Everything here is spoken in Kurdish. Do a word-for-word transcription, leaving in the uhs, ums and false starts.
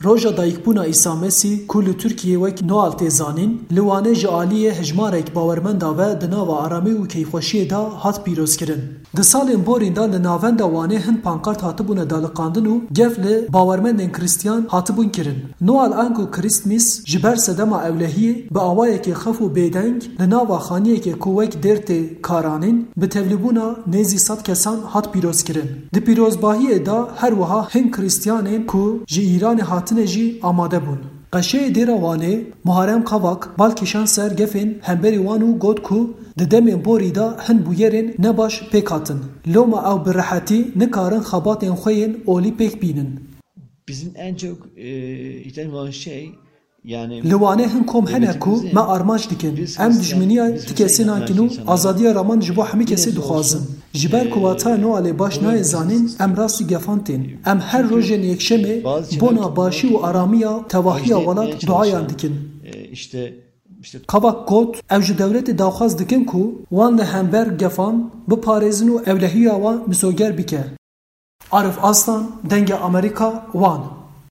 Roja dayikbûna Îsa Mesîh ku li Tirkiyê wek Noel tê zanîn, li Wanê ji aliyê hejmarek bawermenda ve di nava aramî û keyfxweşiyê de hat pîrozkirin. Di salên borîn de li navenda Wanê hin pankart hatibûne daliqandin û gef li bawermendên Kristiyan hatibûn kirin. Noel anku Krîstmîs ji ber sedema ewlehiyê bi awayekê xef û bêdeng li nava xaniyekê ku wek dêr tê karanîn, bi tevlîbûna nêzî sed kesan hat pîrozkirin. Di pîrozbahiyê de her wiha hin Krîstiyanên ku ji Îranê hatine jî amade bûn. Qeşeyê Dêra Wanê, Muharrem Kavak, bal kişand ser gefên hemberî wan û got ku di demên borî de hin bûyerên nebaş pêk hatin. Loma ew bi rehetî nikarin xebatên xwe yên olî pêk bînin. Bizim en çok e, ihtiyacımız olan şey yani Li Wanê hin kom hene ku me armanc dikin. Em dijminiya ti kesê nakin û azadiya raman ji bo hemî kesê dixwazin. Ji ber ku wataya Noelê baş nayê zanîn, em rastî gefan tên. Em her rojên yekşemê bona başî û aramiya tevahiya welat duayan dikin. e, işte Kavak got, ew ji dewletê daxwaz dikin ku wan li hember gefan biparêzin û ewlehiya wan misoger bike. Arif Aslan, Dengê Amerîka, Wan.